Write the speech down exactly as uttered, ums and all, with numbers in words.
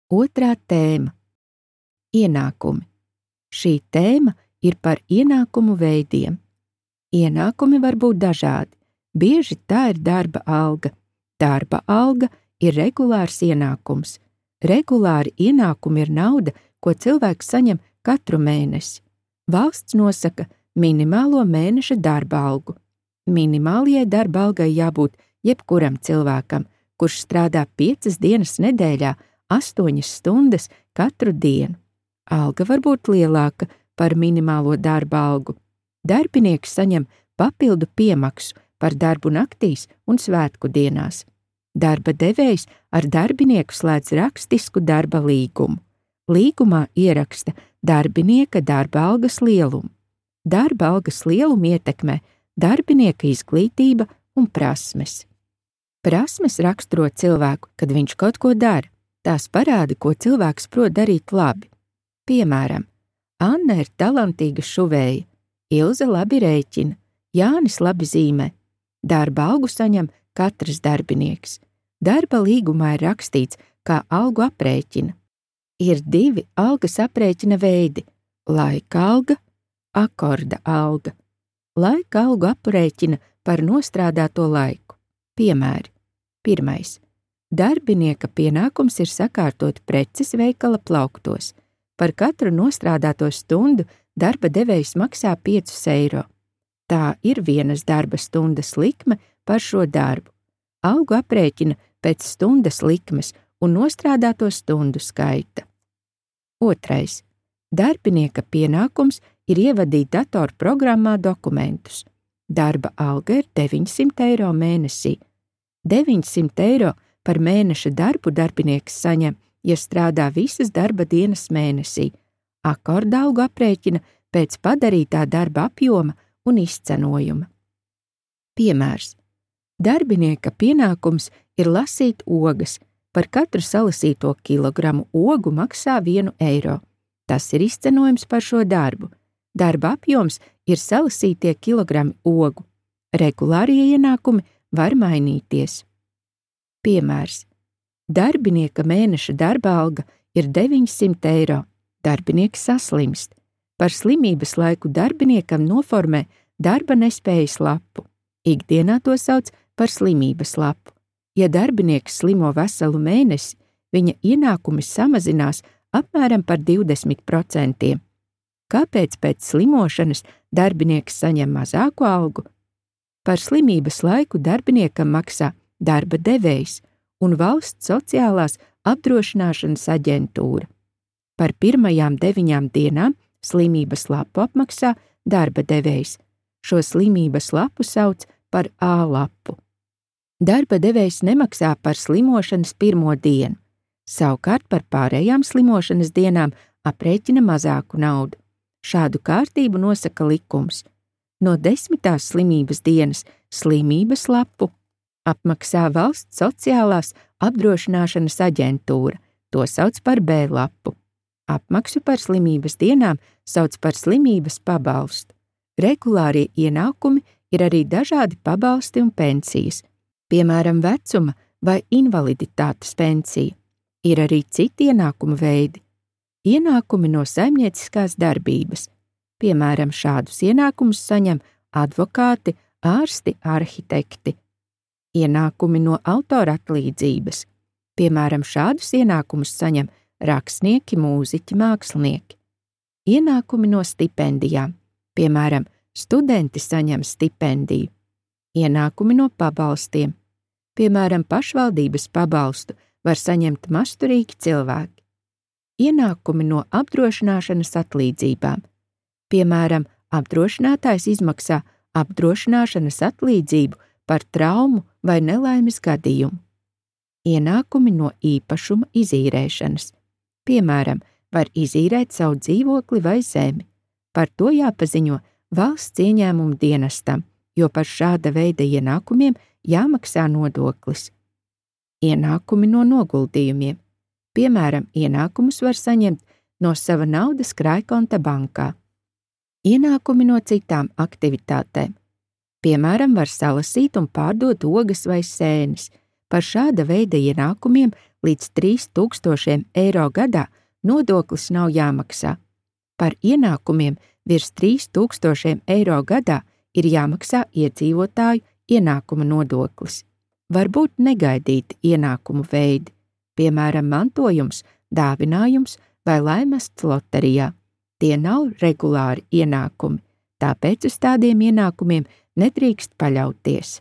Otrā tēma – ienākumi. Šī tēma ir par ienākumu veidiem. Ienākumi var būt dažādi. Bieži tā ir darba alga. Darba alga ir regulārs ienākums. Regulāri ienākumi ir nauda, ko cilvēks saņem katru mēnesi. Valsts nosaka minimālo mēneša darba algu. Minimālajai darba algai jābūt jebkuram cilvēkam, kurš strādā piecas dienas nedēļā, astoņas stundas katru dienu. Alga var būt lielāka par minimālo darba algu. Darbinieks saņem papildu piemaksu par darbu naktīs un svētku dienās. Darba devējs ar darbinieku slēdz rakstisku darba līgumu. Līgumā ieraksta darbinieka darba algas lielumu. Darba algas lielumu ietekmē darbinieka izglītība un prasmes. Prasmes raksturo cilvēku, kad viņš kaut ko dara. Tās parāda, ko cilvēks prot darīt labi. Piemēram, Anna ir talantīga šuvēja, Ilze labi rēķina, Jānis labi zīmē. Darba algu saņem katrs darbinieks. Darba līgumā ir rakstīts, kā algu aprēķina. Ir divi algas aprēķina veidi – laika alga, akorda alga. Laika algu aprēķina par nostrādāto laiku. Piemēri. Pirmais. Darbinieka pienākums ir sakārtot preces veikala plauktos. Par katru nostrādāto stundu darba devējs maksā piecus eiro. Tā ir vienas darba stundas likme par šo darbu. Algu aprēķina pēc stundas likmes un nostrādāto stundu skaita. Otrais. Darbinieka pienākums ir ievadīt datorprogrammā dokumentus. Darba alga ir deviņsimt eiro mēnesī. deviņsimt eiro par mēneša darbu darbinieks saņem, ja strādā visas darba dienas mēnesī. Akorda algu aprēķina pēc padarītā darba apjoma un izcenojuma. Piemērs. Darbinieka pienākums ir lasīt ogas. Par katru salasīto kilogramu ogu maksā vienu eiro. Tas ir izcenojums par šo darbu. Darba apjoms ir salasītie kilogrami ogu. Regulārie ienākumi var mainīties. Piemērs. Darbinieka mēneša darba alga ir deviņsimt eiro. Darbinieks saslimst. Par slimības laiku darbiniekam noformē darba nespējas lapu. Ikdienā to sauc par slimības lapu. Ja darbinieks slimo veselu mēnesi, viņa ienākumi samazinās apmēram par divdesmit procentiem. Kāpēc pēc slimošanas darbinieks saņem mazāku algu? Par slimības laiku darbiniekam maksā darba devējs un valsts sociālās apdrošināšanas aģentūra. Par pirmajām deviņām dienām slimības lapu apmaksā darba devējs. Šo slimības lapu sauc par A lapu. Darba devējs nemaksā par slimošanas pirmo dienu. Savukārt par pārējām slimošanas dienām aprēķina mazāku naudu. Šādu kārtību nosaka likums. No desmitās slimības dienas slimības lapu apmaksā valsts sociālās apdrošināšanas aģentūra, to sauc par B lapu. Apmaksu par slimības dienām sauc par slimības pabalstu. Regulārie ienākumi ir arī dažādi pabalsti un pensijas, piemēram, vecuma vai invaliditātes pensija. Ir arī citi ienākumu veidi. Ienākumi no saimnieciskās darbības. Piemēram, šādus ienākumus saņem advokāti, ārsti, arhitekti. Ienākumi no autora atlīdzības. Piemēram, šādus ienākumus saņem rakstnieki, mūziķi, mākslinieki. Ienākumi no stipendijām. Piemēram, studenti saņem stipendiju. Ienākumi no pabalstiem. Piemēram, pašvaldības pabalstu var saņemt masturīgi cilvēki. Ienākumi no apdrošināšanas atlīdzībām. Piemēram, apdrošinātājs izmaksā apdrošināšanas atlīdzību par traumu vai nelaimes gadījumu. Ienākumi no īpašuma izīrēšanas. Piemēram, var izīrēt savu dzīvokli vai zemi. Par to jāpaziņo valsts ieņēmumu dienestam, jo par šāda veida ienākumiem jāmaksā nodoklis. Ienākumi no noguldījumiem. Piemēram, ienākumus var saņemt no sava naudas krājkonta bankā. Ienākumi no citām aktivitātēm. Piemēram, var salasīt un pārdot ogas vai sēnes. Par šāda veida ienākumiem līdz trīs tūkstošiem eiro gadā nodoklis nav jāmaksā. Par ienākumiem virs trīs tūkstošiem eiro gadā ir jāmaksā iedzīvotāju ienākuma nodoklis. Var būt negaidīti ienākumu veidi, piemēram, mantojums, dāvinājums vai laimests loterijā. Tie nav regulāri ienākumi, tāpēc uz tādiem ienākumiem nedrīkst paļauties.